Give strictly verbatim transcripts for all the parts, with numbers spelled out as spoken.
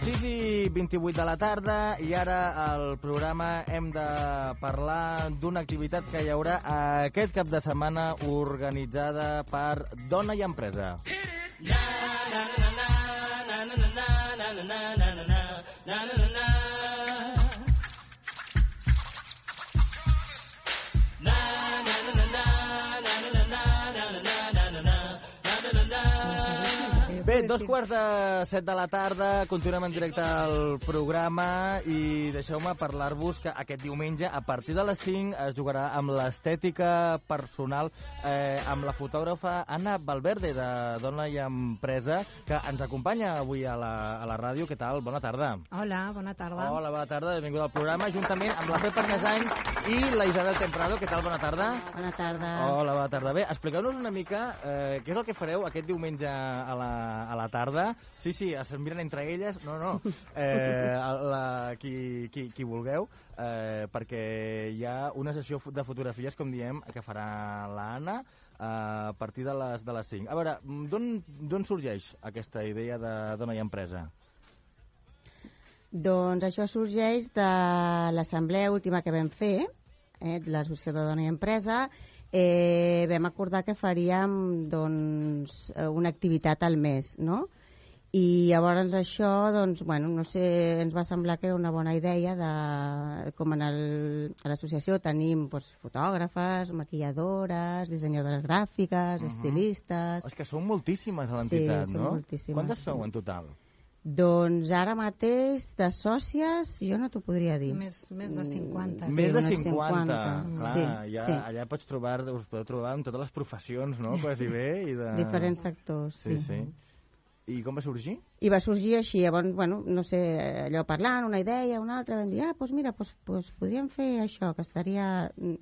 sis i vint-i-vuit de la tarda i ara al programa hem de parlar d'una activitat que hi haurà aquest cap de setmana organitzada per Dona i Empresa. Bé, dos quarts de set de la tarda, continuem en directe al programa i deixeu-me parlar-vos que aquest diumenge, a partir de les cinc, es jugarà amb l'estètica personal eh, amb la fotògrafa Anna Valverde, de Dona i Empresa, que ens acompanya avui a la, a la ràdio. Què tal? Bona tarda. Hola, bona tarda. Hola, bona tarda, benvinguda al programa, juntament amb la Pepa Arnesany i la Isabel Temprado. Què tal? Bona tarda. Bona tarda. Hola, bona tarda. Bé, expliqueu-nos una mica eh, què és el que fareu aquest diumenge a la a la tarda. Sí, sí, es miren entre elles. No, no. Eh, la, qui, qui, qui vulgueu, eh, perquè hi ha una sessió de fotografies, com diem, que farà l'Anna eh, a partir de les, de les cinc. A veure, d'on sorgeix aquesta idea de Dona i Empresa? Doncs això sorgeix de l'assemblea última que vam fer, eh, de l'Associació de Dona i Empresa. Eh, vam acordar que faríem doncs, una activitat al mes, no? I llavors això, doncs, bueno, no sé, ens va semblar que era una bona idea de, com en el, a l'associació tenim doncs, fotògrafes, maquilladores, dissenyadores gràfiques, uh-huh. estilistes... És que són moltíssimes a l'entitat, sí, no? Moltíssimes. Quantes sou en total? Doncs ara mateix de sòcies jo no t'ho podria dir. Més, més de cinquanta. Sí, més de cinquanta. Clar, sí, ja, sí. Allà pots trobar, us podeu trobar amb totes les professions, no? Quasi bé. I de... Diferents sectors, sí. Sí, sí. I com va sorgir? I va sorgir així, llavors, bueno, no sé, allò parlant, una idea, una altra, vam dir, ah, doncs mira, doncs, doncs podríem fer això, que estaria,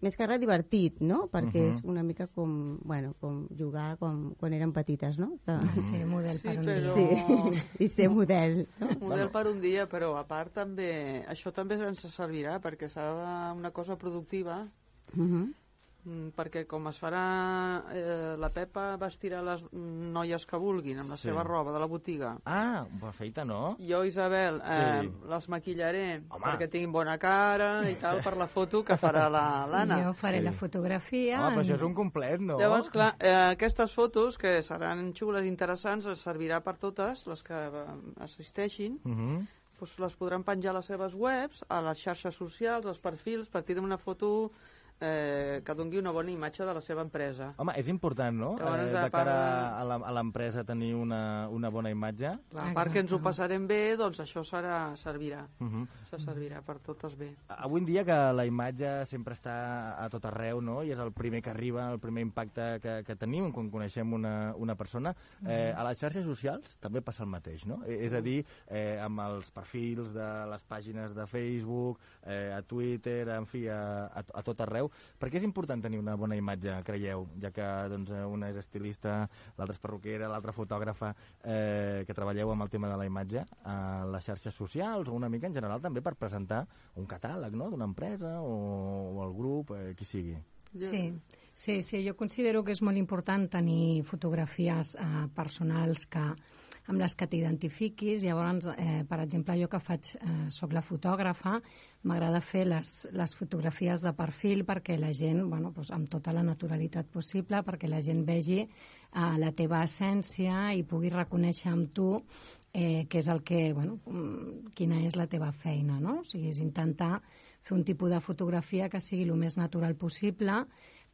més que res, divertit, no? Perquè uh-huh. és una mica com, bueno, com jugar com quan érem petites, no? Que... Ah, sí, model per sí, un però... dia. Sí, i ser model. No? Model bueno. per un dia, però a part també, això també ens servirà perquè serà una cosa productiva, Uh-huh. perquè com es farà eh, la Pepa vestirà les noies que vulguin amb la sí. seva roba de la botiga. Ah, perfecte, no? Jo, Isabel, eh, sí. les maquillaré Home. perquè tinguin bona cara i tal per la foto que farà l'Anna. Jo faré Sí. la fotografia. Home, però això és un complet, no? Llavors, clar, eh, aquestes fotos, que seran xules i interessants, els servirà per totes les que eh, assisteixin, Uh-huh. doncs les podran penjar a les seves webs, a les xarxes socials, als perfils, partir d'una foto eh, que doni una bona imatge de la seva empresa. Home, és important, no? Llavors, Eh, de a part cara de- a la- a l'empresa tenir una, una bona imatge. Clar, a part que ens ho passarem bé, doncs això serà, servirà. Uh-huh. Se servirà per totes bé. Avui en dia que la imatge sempre està a tot arreu, no? I és el primer que arriba, el primer impacte que, que tenim quan coneixem una, una persona. Eh, a les xarxes socials també passa el mateix, no? Eh, és a dir, eh, amb els perfils de les pàgines de Facebook, eh, a Twitter, en fi, a, a, a tot arreu. Per què és important tenir una bona imatge, creieu? Ja que doncs, una és estilista, l'altra és perruquera, l'altra fotògrafa, eh, que treballeu amb el tema de la imatge a les xarxes socials o una mica en general també per presentar un catàleg, no?, d'una empresa o, o el grup, eh, qui sigui. Sí, sí, sí, jo considero que és molt important tenir fotografies eh, personals que, amb les que t'identifiquis. Llavors, eh, per exemple, jo que faig, eh, soc la fotògrafa, m'agrada fer les, les fotografies de perfil perquè la gent, bueno, doncs, amb tota la naturalitat possible, perquè la gent vegi eh, la teva essència i pugui reconèixer amb tu eh, què és el que, bueno, quina és la teva feina, no? O sigui, és intentar fer un tipus de fotografia que sigui el més natural possible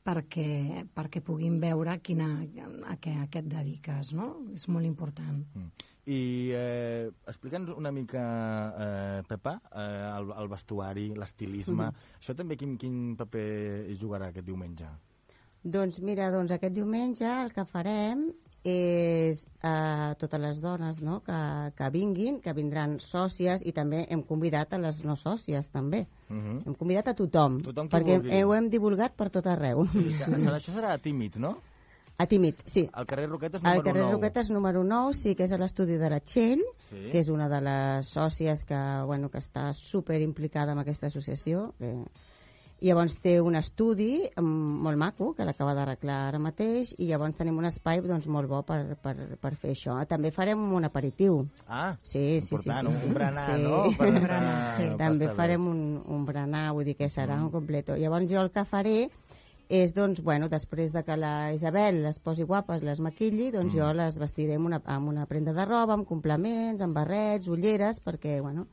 perquè, perquè puguin veure quina, a, què, a què et dediques, no? És molt important. Mm. I eh, explica'ns una mica, eh, Pepa, eh, el, el vestuari, l'estilisme. Mm-hmm. Això també quin, quin paper hi jugarà aquest diumenge? Doncs mira, doncs aquest diumenge el que farem és a totes les dones, no?, que, que vinguin, que vindran sòcies, i també hem convidat a les no sòcies també. Uh-huh. Hem convidat a tothom, tothom perquè vulgui. ho hem divulgat per tot arreu. Sí, que, això serà tímid, no? A Tímid, sí. Al carrer Roquetes número nou. Al carrer Roquetes número nou, sí, que és a l'estudi de la Txell, sí. que és una de les sòcies que, bueno, que està super implicada en aquesta associació. Que... I llavors té un estudi um, molt maco, que l'acaba d'arreglar ara mateix, i llavors tenim un espai doncs, molt bo per, per, per fer això. També farem un aperitiu. Ah, sí, sí, important, sí, sí, sí. un berenar, sí. no? Per un berenar, sí. També farem un, un berenar, vull dir que serà mm. un completo. Llavors jo el que faré és, doncs, bueno, després de que la Isabel les posi guapes, les maquilli, doncs mm. jo les vestiré amb una, amb una prenda de roba, amb complements, amb barrets, ulleres, perquè, bueno,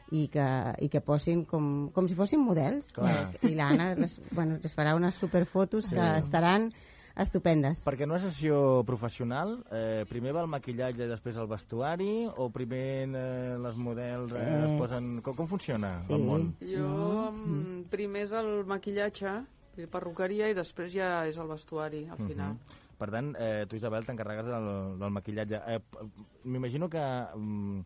i que, i que posin com, com si fossin models. Clar. I l'Anna les, bueno, les farà unes superfotos sí. que estaran estupendes. Perquè en una sessió professional, eh, primer va el maquillatge i després el vestuari, o primer eh, les models eh, es posen... Com, com funciona sí. el món? Jo, mm. primer és el maquillatge, perruqueria, i després ja és el vestuari, al final. Uh -huh. Per tant, eh, tu, Isabel, t'encarregues del, del maquillatge. Eh, M'imagino que... Mm,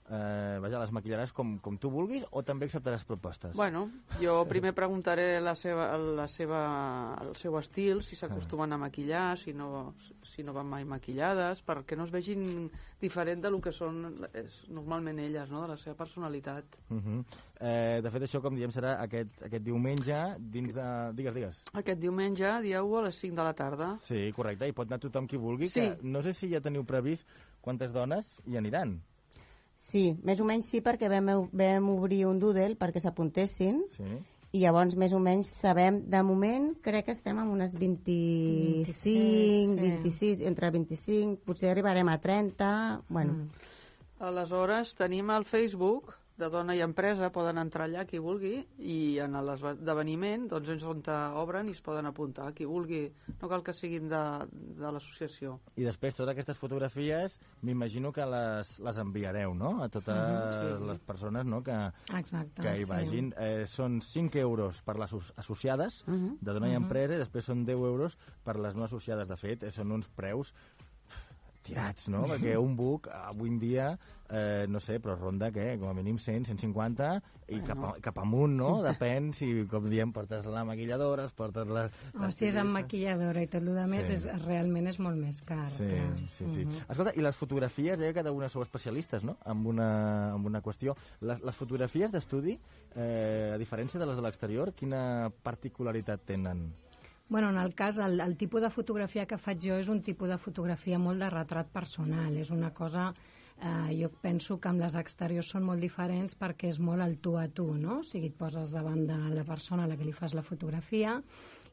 Eh, vaja, les maquillaràs com, com tu vulguis o també acceptaràs propostes? Bueno, jo primer preguntaré la seva, la seva, el seu estil, si s'acostumen a maquillar, si no, si no van mai maquillades, perquè no es vegin diferent del que són és, normalment elles, no? De la seva personalitat. Uh -huh. eh, de fet, això, com diem, serà aquest, aquest diumenge dins de... Digues, digues. Aquest diumenge, dia u, a les cinc de la tarda. Sí, correcte, i pot anar tothom qui vulgui. Sí. Que no sé si ja teniu previst quantes dones hi aniran. Sí, més o menys sí, perquè vam, vam obrir un doodle perquè s'apuntessin Sí. i llavors més o menys sabem, de moment crec que estem amb unes vint-i-cinc, vint-i-sis, entre vint-i-cinc, potser arribarem a trenta, bueno. Mm. Aleshores tenim el Facebook de Dona i Empresa, poden entrar allà qui vulgui, i en l'esdeveniment doncs és on obren i es poden apuntar qui vulgui, no cal que siguin de, de l'associació. I després totes aquestes fotografies m'imagino que les, les enviareu, no?, a totes uh-huh, sí. les persones, no?, que, Exacte, que hi sí. vagin. Eh, són cinc euros per les associades uh-huh, de Dona uh-huh. i Empresa, i després són deu euros per les no associades. De fet, eh, són uns preus tirats, no? Perquè un book avui en dia, eh, no sé, però ronda, què? Com a mínim cent, cent cinquanta, i cap, a, cap amunt, no? Depèn si, com diem, portes la maquilladora, es portes la... O si és amb maquilladora i tot el que més, sí. és, realment és molt més car. Sí, clar. sí, sí. Uh -huh. Escolta, i les fotografies, eh, cada una sou especialistes, no?, en una, en una qüestió. Les, les fotografies d'estudi, eh, a diferència de les de l'exterior, quina particularitat tenen? Bueno, en el cas, el, el tipus de fotografia que faig jo és un tipus de fotografia molt de retrat personal. És una cosa, eh, jo penso que amb les exteriors són molt diferents perquè és molt el tu a tu, no? O sigui, et poses davant de la persona a la que li fas la fotografia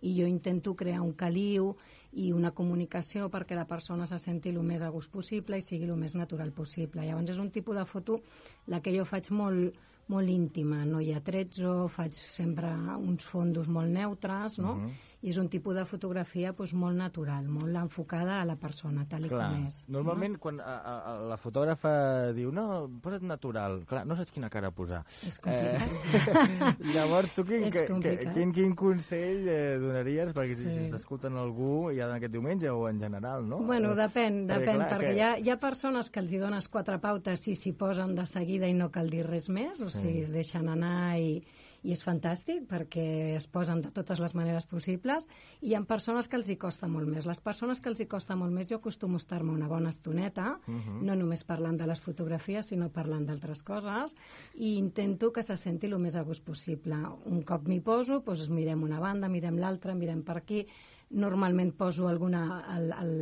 i jo intento crear un caliu i una comunicació perquè la persona se senti el més a gust possible i sigui el més natural possible. Llavors és un tipus de foto la que jo faig molt molt íntima, no hi ha tretzo, faig sempre uns fondos molt neutres, no? Uh-huh. I és un tipus de fotografia doncs, molt natural, molt enfocada a la persona, tal i clar, com és. Normalment, no? Quan a, a, la fotògrafa diu no, posa't natural, clar, no saps quina cara posar. És complicat. Eh, llavors, tu quin, és complicat. quin, quin consell eh, donaries perquè sí. si, si t'escolten algú ja aquest diumenge o en general, no? Bueno, depèn, perquè, depèn, clar, perquè que... hi, ha, hi ha persones que els hi dones quatre pautes i s'hi posen de seguida i no cal dir res més, o sigui, es deixen anar i, i és fantàstic perquè es posen de totes les maneres possibles, i hi ha persones que els hi costa molt més. Les persones que els hi costa molt més, jo acostumo a estar-me una bona estoneta, uh-huh. no només parlant de les fotografies, sinó parlant d'altres coses, i intento que se senti el més a gust possible. Un cop m'hi poso, doncs mirem una banda, mirem l'altra, mirem per aquí, normalment poso alguna... El, el,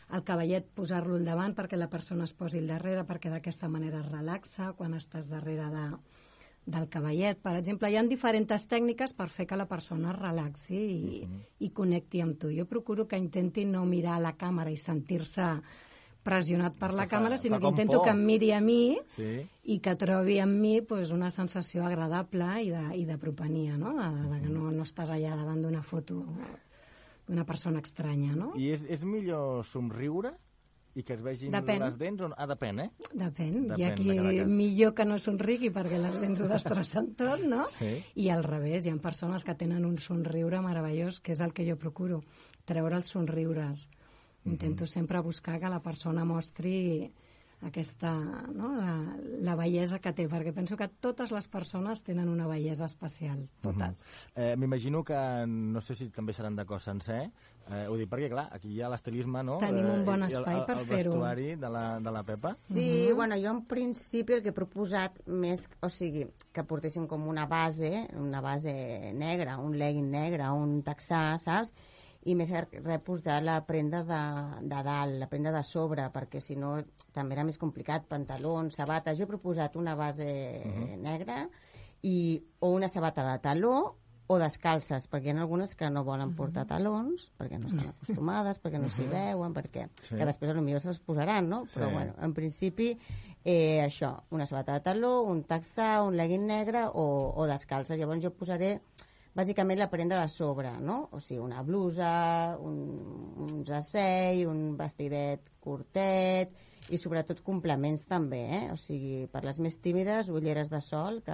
el cavallet, posar-lo al davant perquè la persona es posi al darrere, perquè d'aquesta manera es relaxa quan estàs darrere de, del cavallet. Per exemple, hi ha diferents tècniques per fer que la persona es relaxi i, uh-huh. i connecti amb tu. Jo procuro que intenti no mirar a la càmera i sentir-se pressionat per la fa, càmera, sinó que intento por. que em miri a mi sí. i que trobi en mi pues, una sensació agradable i de, i de propenia, no? De, de que no, no estàs allà davant d'una foto d'una persona estranya, no? I és, és millor somriure i que es vegin depèn. les dents? O... Ah, depèn, eh? Depèn. depèn Hi ha qui millor que no somrigui perquè les dents ho destrossen tot, no? Sí. I al revés, hi ha persones que tenen un somriure meravellós, que és el que jo procuro, treure els somriures. Intento mm-hmm. sempre buscar que la persona mostri aquesta, no? la, la bellesa que té, perquè penso que totes les persones tenen una bellesa especial, totes. Uh -huh. eh, M'imagino que, no sé si també seran de cos sencer, eh, ho dic perquè, clar, aquí hi ha l'estilisme, no? Tenim un bon eh, espai el, el, per el fer-ho. El vestuari de la, de la Pepa. Sí, uh -huh. bueno, jo en principi el que he proposat més, o sigui, que portessin com una base, una base negra, un legging negre, un texà, saps? I més res posar la prenda de, de dalt, la prenda de sobre, perquè si no també era més complicat, pantalons, sabates. Jo he proposat una base uh -huh. negra i, o una sabata de taló o descalces, perquè hi ha algunes que no volen portar talons, perquè no estan acostumades, perquè no s'hi veuen, perquè sí. que després potser se'ls posaran, no? Però, sí. bueno, en principi, eh, això, una sabata de taló, un texà, un legging negre o, o descalces. Llavors jo posaré bàsicament la prenda de sobre, no? O sigui, una blusa, un, un jersei, un vestidet curtet i sobretot complements també, eh? O sigui, per les més tímides, ulleres de sol, que...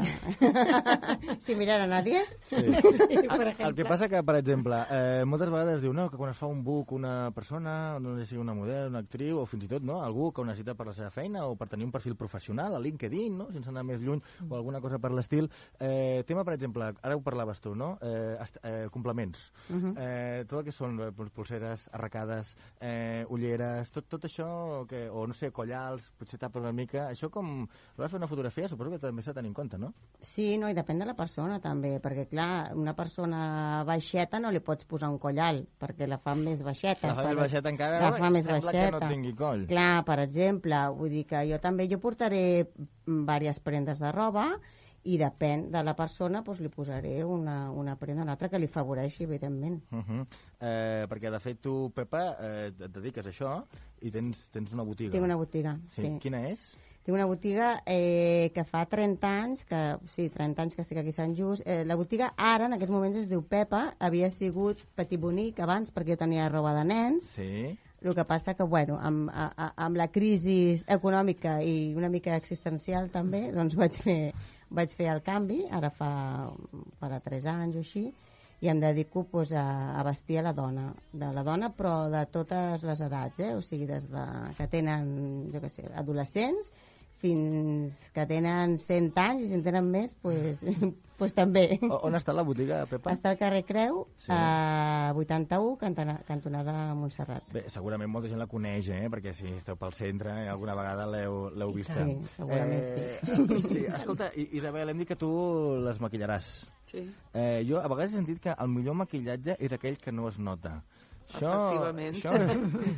si mirar a nadie. Sí. Sí, per exemple. El que passa que, per exemple, eh, moltes vegades diu no, que quan es fa un book una persona, no sé si una model, una actriu, o fins i tot no, algú que ho necessita per la seva feina o per tenir un perfil professional a LinkedIn, no? Sense anar més lluny, mm. o alguna cosa per l'estil. Eh, tema, per exemple, ara ho parlaves tu, no? Eh, eh, complements. Uh -huh. eh, tot el que són eh, pulseres, arracades, eh, ulleres, tot, tot això, que, o no sé, collals, potser tapa una mica, això com... Vas fer una fotografia, suposo que també s'ha de tenir en compte, no? Sí, no, i depèn de la persona també, perquè clar, una persona baixeta no li pots posar un collal, perquè la fa més baixeta. La fa més baixeta encara, la fa més sembla baixeta. Que no tingui coll. Clar, per exemple, vull dir que jo també jo portaré diverses prendes de roba i depèn de la persona doncs li posaré una, una prenda o una altra que li favoreixi, evidentment. Uh -huh. eh, perquè, de fet, tu, Pepa, eh, et dediques a això i tens, tens una botiga. Tinc una botiga, sí. sí. Quina és? Tinc una botiga eh, que fa trenta anys, que, sí, trenta anys que estic aquí a Sant Just. Eh, la botiga ara, en aquests moments, es diu Pepa. Havia sigut Petit Bonic abans, perquè jo tenia roba de nens. Sí. El que passa que, bueno, amb, a, amb la crisi econòmica i una mica existencial també, doncs vaig fer, vaig fer el canvi, ara fa, farà tres anys o així, i em dedico pues, a, a vestir a la dona, de la dona però de totes les edats, eh? O sigui, des de que tenen, jo què sé, adolescents fins que tenen cent anys i si en tenen més, pues, pues també. On està la botiga, Pepa? Està al carrer Creu, sí. a vuitanta-u, cantona, cantonada Montserrat. Bé, segurament molta gent la coneix, eh? Perquè si esteu pel centre, alguna vegada l'heu vista. Sí, segurament eh, sí. sí. Escolta, Isabel, hem dit que tu les maquillaràs. Sí. Eh, jo a vegades he sentit que el millor maquillatge és aquell que no es nota. Això, Efectivament. Això,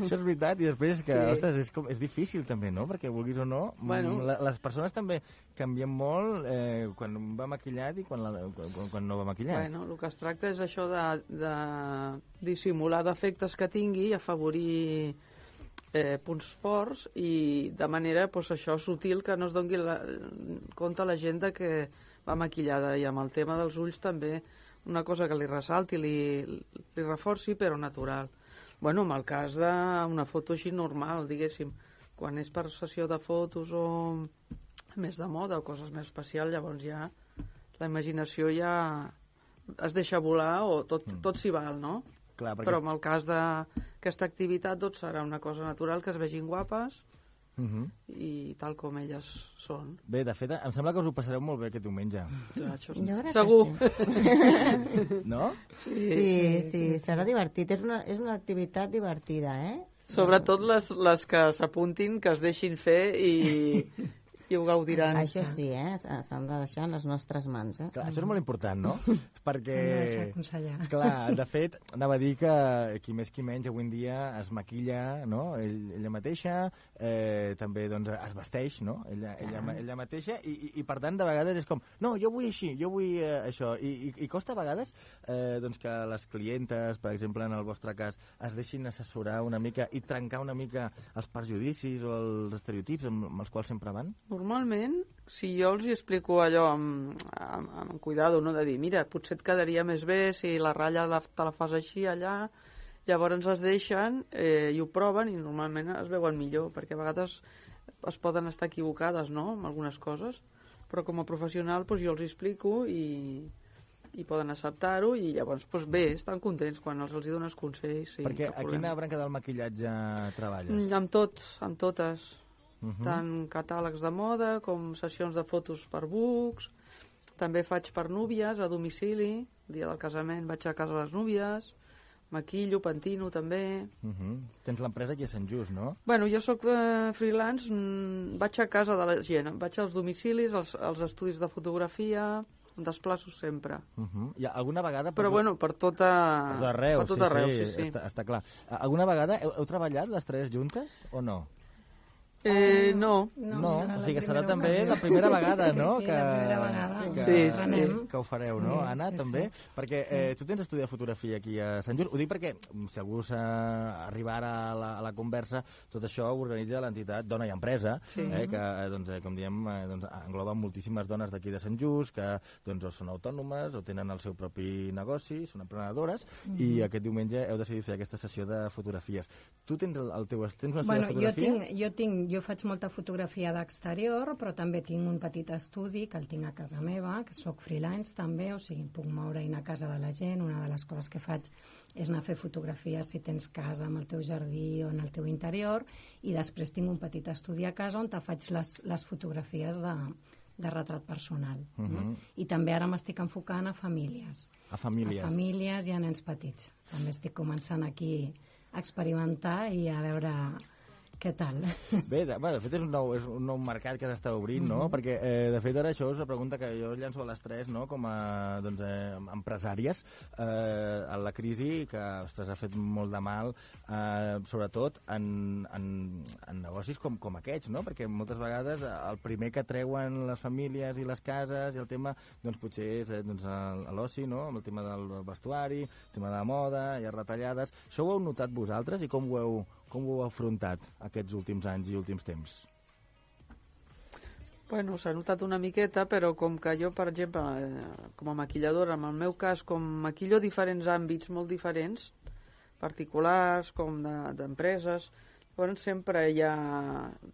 això és veritat, i després que, sí. ostres, és, com, és difícil també, no? Perquè vulguis o no, bueno. la, les persones també canvien molt eh, quan va maquillat i quan, la, quan, quan no va maquillat. Bueno, el que es tracta és això de, de dissimular defectes que tingui i afavorir eh, punts forts i de manera, pues, això, sutil, que no es doni la, compte la gent de que va maquillada, i amb el tema dels ulls també una cosa que li ressalti, li, li reforci, però natural. Bueno, en el cas d'una foto així normal, diguéssim, quan és per sessió de fotos o més de moda o coses més especials, llavors ja la imaginació ja es deixa volar o tot, mm. tot s'hi val, no? Clar, perquè... Però en el cas d'aquesta activitat tot serà una cosa natural, que es vegin guapes, Uh -huh. i tal com elles són. Bé, de fet, em sembla que us ho passareu molt bé aquest diumenge. Ja, això és... Jo crec Segur. que sí. No? Sí, sí, sí, sí, serà divertit. És una, és una activitat divertida, eh? Sobretot les, les que s'apuntin, que es deixin fer i, i ho gaudiran. Això sí, eh? S'han de deixar en les nostres mans, eh? Clar, això és molt important, no? Perquè... S'han de deixar aconsellar. Clar, de fet, anava a dir que qui més qui menys avui en dia es maquilla, no? Ell, ella mateixa, eh, també doncs, es vesteix, no? Ella, ella, ella mateixa, i, i, i per tant, de vegades és com, no, jo vull així, jo vull eh, això, I, i, i costa a vegades eh, doncs que les clientes, per exemple, en el vostre cas, es deixin assessorar una mica i trencar una mica els perjudicis o els estereotips amb, amb els quals sempre van? Normalment, si jo els hi explico allò amb, amb, amb cuidado, no? De dir, mira, potser et quedaria més bé si la ratlla la, te la fas així allà, llavors es deixen eh, i ho proven i normalment es veuen millor, perquè a vegades es poden estar equivocades, no?, amb algunes coses, però com a professional doncs, jo els hi explico i, i poden acceptar-ho i llavors doncs, bé, estan contents quan els, els hi dones consells. Sí, perquè a quina branca del maquillatge treballes? Amb tot, amb totes. uh-huh. tant catàlegs de moda com sessions de fotos per books. També faig per núvies a domicili, el dia del casament vaig a casa de les núvies, maquillo, pentino també. Uh-huh. Tens l'empresa aquí a Sant Just, no? Bueno, jo sóc eh, freelance, mm, vaig a casa de la gent, vaig als domicilis, als, als estudis de fotografia, em desplaço sempre. Uh-huh. I alguna vegada... Però bueno, per tota... Per tot arreu, per tot sí, arreu, sí, sí, sí. Està, està clar. Alguna vegada heu, heu treballat les tres juntes o no? Eh, no. No, No, serà o sigui que la serà primera també ocasió. la primera vegada, no? Sí, que, la primera vegada. que, Sí, sí. Anem. que ho fareu, no? Sí, Anna, sí, també? sí. Perquè eh, tu tens estudi de fotografia aquí a Sant Just. Ho dic perquè, si algú s'arriba ara a la, a la conversa, tot això ho organitza l'entitat Dona i Empresa, Sí. eh, que, eh, doncs, eh, com diem, eh, doncs, engloba moltíssimes dones d'aquí de Sant Just, que doncs, o són autònomes o tenen el seu propi negoci, són emprenedores, Mm-hmm. i aquest diumenge heu decidit fer aquesta sessió de fotografies. Tu tens el, el teu tens un estudi Bueno, de jo, fotografia? tinc, jo, tinc, jo faig molta fotografia d'exterior, però també tinc un petit estudi que el tinc a casa meva, que sóc freelance també, o sigui, puc moure i anar a casa de la gent. Una de les coses que faig és anar a fer fotografies si tens casa amb el teu jardí o en el teu interior, i després tinc un petit estudi a casa on te faig les, les fotografies de, de retrat personal. Uh -huh. no? I també ara m'estic enfocant a famílies. A famílies. A famílies i a nens petits. També estic començant aquí a experimentar i a veure què tal. Bé, de, bueno, de fet és un nou, és un nou mercat que s'està obrint, no? Mm-hmm. Perquè, eh, de fet, ara això és una pregunta que jo llanço a les tres, no? Com a doncs, eh, empresàries, eh, a la crisi, que ostres, ha fet molt de mal, eh, sobretot en, en, en negocis com, com aquests, no? Perquè moltes vegades el primer que treuen les famílies i les cases i el tema, doncs potser és eh, doncs, l'oci, no? Amb el tema del vestuari, el tema de la moda, hi ha retallades. Això ho heu notat vosaltres i com ho heu Com ho heu afrontat aquests últims anys i últims temps? Bueno, s'ha notat una miqueta, però com que jo, per exemple, eh, com a maquilladora, en el meu cas, com maquillo diferents àmbits molt diferents, particulars, com d'empreses, de, llavors sempre hi ha...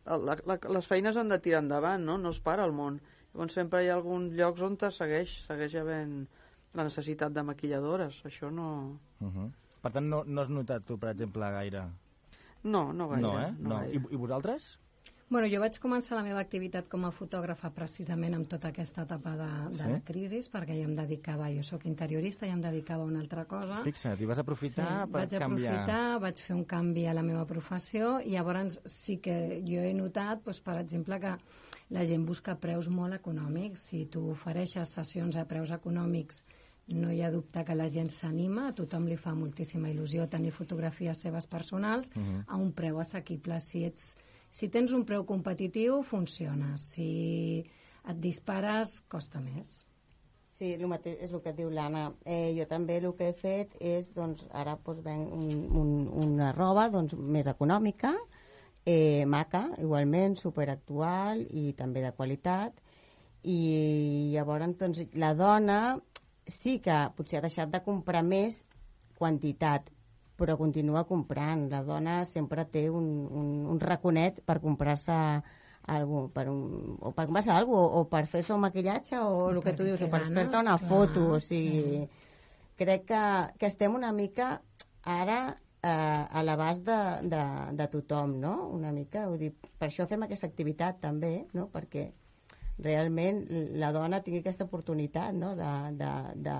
La, la, les feines han de tirar endavant, no? No es para el món. Llavors sempre hi ha alguns llocs on segueix, segueix havent la necessitat de maquilladores. Això no... Uh -huh. Per tant, no, no has notat tu, per exemple, gaire... No, no gaire. No, eh? No No. gaire. I, I vosaltres? Bueno, jo vaig començar la meva activitat com a fotògrafa precisament amb tota aquesta etapa de, de Sí? la crisi, perquè jo em dedicava, jo sóc interiorista, i em dedicava a una altra cosa. Fixa't, i vas aprofitar sí, per vaig canviar... aprofitar, vaig fer un canvi a la meva professió, i llavors sí que jo he notat, doncs, per exemple, que la gent busca preus molt econòmics. Si tu ofereixes sessions a preus econòmics, no hi ha dubte que la gent s'anima, a tothom li fa moltíssima il·lusió tenir fotografies seves personals Uh-huh. a un preu assequible. Si, ets, si tens un preu competitiu, funciona. Si et dispares, costa més. Sí, el mateix és el que et diu l'Anna. Eh, jo també el que he fet és, doncs, ara doncs, venc un, un, una roba doncs, més econòmica, eh, maca, igualment, superactual i també de qualitat. I llavors, doncs, la dona sí que potser ha deixat de comprar més quantitat, però continua comprant. La dona sempre té un, un, un raconet per comprar-se algú, per un, o per comprar-se alguna cosa, o, o per fer-se un maquillatge, o el que tu dius, o per fer-te una clar, foto. O sigui, sí. Crec que, que estem una mica ara eh, a l'abast de, de, de tothom, no? Una mica, vull dir, per això fem aquesta activitat també, no? Perquè realment la dona tingui aquesta oportunitat, no? de, de, de,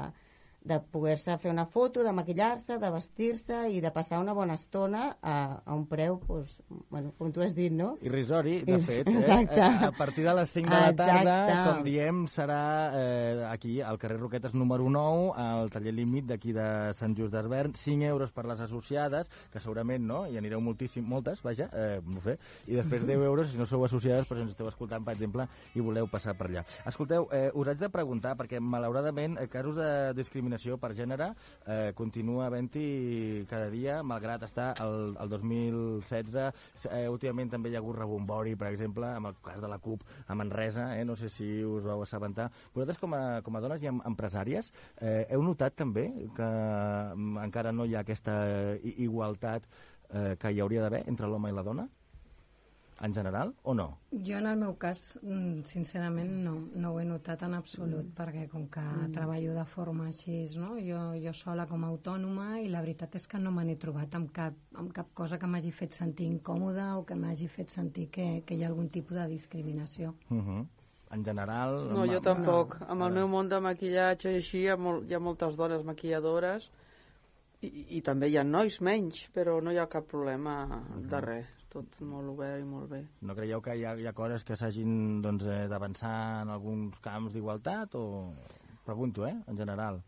de poder-se fer una foto, de maquillar-se, de vestir-se i de passar una bona estona a, a un preu, pues, bueno, com tu has dit, no? Irrisori, de fet. Eh? Exacte. A, a partir de les cinc de la tarda, Exacte. com diem, serà eh, aquí, al carrer Roquetes número nou, al taller Límit d'aquí de Sant Just d'Esvern, cinc euros per les associades, que segurament no, hi anireu moltíssim, moltes, vaja, eh, no sé, i després deu euros si no sou associades, però si ens esteu escoltant, per exemple, i voleu passar per allà. Escolteu, eh, us haig de preguntar, perquè malauradament eh, casos de discriminació per gènere eh, continua havent-hi cada dia, malgrat estar el, el dos mil setze. Eh, últimament també hi ha hagut rebombori, per exemple, amb el cas de la CUP a Manresa, eh, no sé si us vau assabentar. Vosaltres, com a, com a dones i empresàries, eh, heu notat també que mm, encara no hi ha aquesta igualtat eh, que hi hauria d'haver entre l'home i la dona? en general, o no? Jo, en el meu cas, sincerament, no, no ho he notat en absolut, mm. perquè com que mm. treballo de forma així, no? jo, jo sola com a autònoma, i la veritat és que no me n'he trobat amb cap, amb cap cosa que m'hagi fet sentir incòmoda o que m'hagi fet sentir que, que hi ha algun tipus de discriminació. Uh-huh. En general... No, jo tampoc. No. Amb el meu món de maquillatge i així hi ha, molt, hi ha moltes dones maquilladores i, i també hi ha nois menys, però no hi ha cap problema uh-huh. de res. Tot molt obert i molt bé. No creieu que hi ha, hi ha coses que s'hagin doncs, eh, d'avançar en alguns camps d'igualtat? O... Pregunto, eh, en general.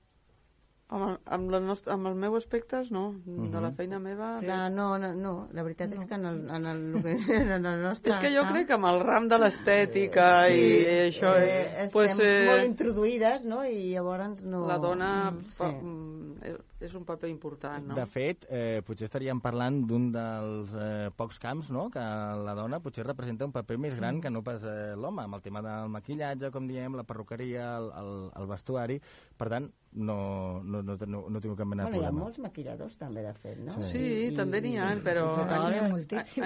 Amb el, amb, la nostra, amb els meus aspectes, no. Uh-huh. De la feina meva... Clar, no, no, no. La veritat no. és que en el, en el, en el nostre... És que jo crec que amb el ram de l'estètica sí, i, i això... Eh, estem pues, eh, molt introduïdes, no? I llavors no... La dona fa, sí. és un paper important, no? De fet, eh, potser estaríem parlant d'un dels eh, pocs camps, no?, que la dona potser representa un paper més gran que no pas eh, l'home, amb el tema del maquillatge, com diem, la perruqueria, el, el, el vestuari. Per tant, no, no, no, no, no tinc cap mena de bueno, problema. Hi ha molts maquilladors, també, de fet, no? Sí, sí I, també n'hi ha, però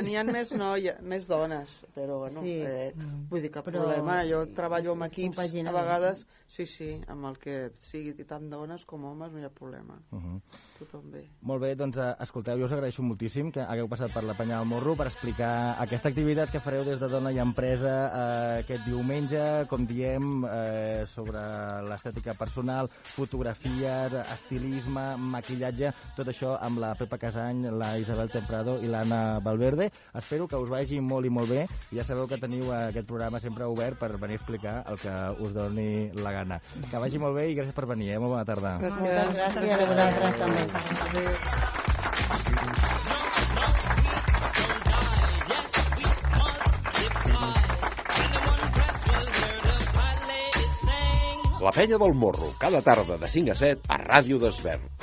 n'hi ha més, noia, més dones, però, bueno, sí. eh, vull dir, cap però, problema. Jo treballo amb equips, a vegades, sí, sí, amb el que sigui tant dones com homes, no hi ha problema. Uh-huh. Tothom bé. Molt bé, doncs, escolteu, jo us agraeixo moltíssim que hagueu passat per la Penya del Morro per explicar aquesta activitat que fareu des de Dona i Empresa eh, aquest diumenge, com diem, eh, sobre l'estètica personal, fotografies, estilisme, maquillatge, tot això amb la Pepa Casany, la Isabel Temprado i l'Anna Valverde. Espero que us vagi molt i molt bé. Ja sabeu que teniu aquest programa sempre obert per venir a explicar el que us doni la gana. Que vagi molt bé i gràcies per venir, eh? Molt bona tarda. Gràcies. Moltes gràcies a vosaltres també. La Penya del Morro, cada tarda de cinc a set a Ràdio d'Esvern.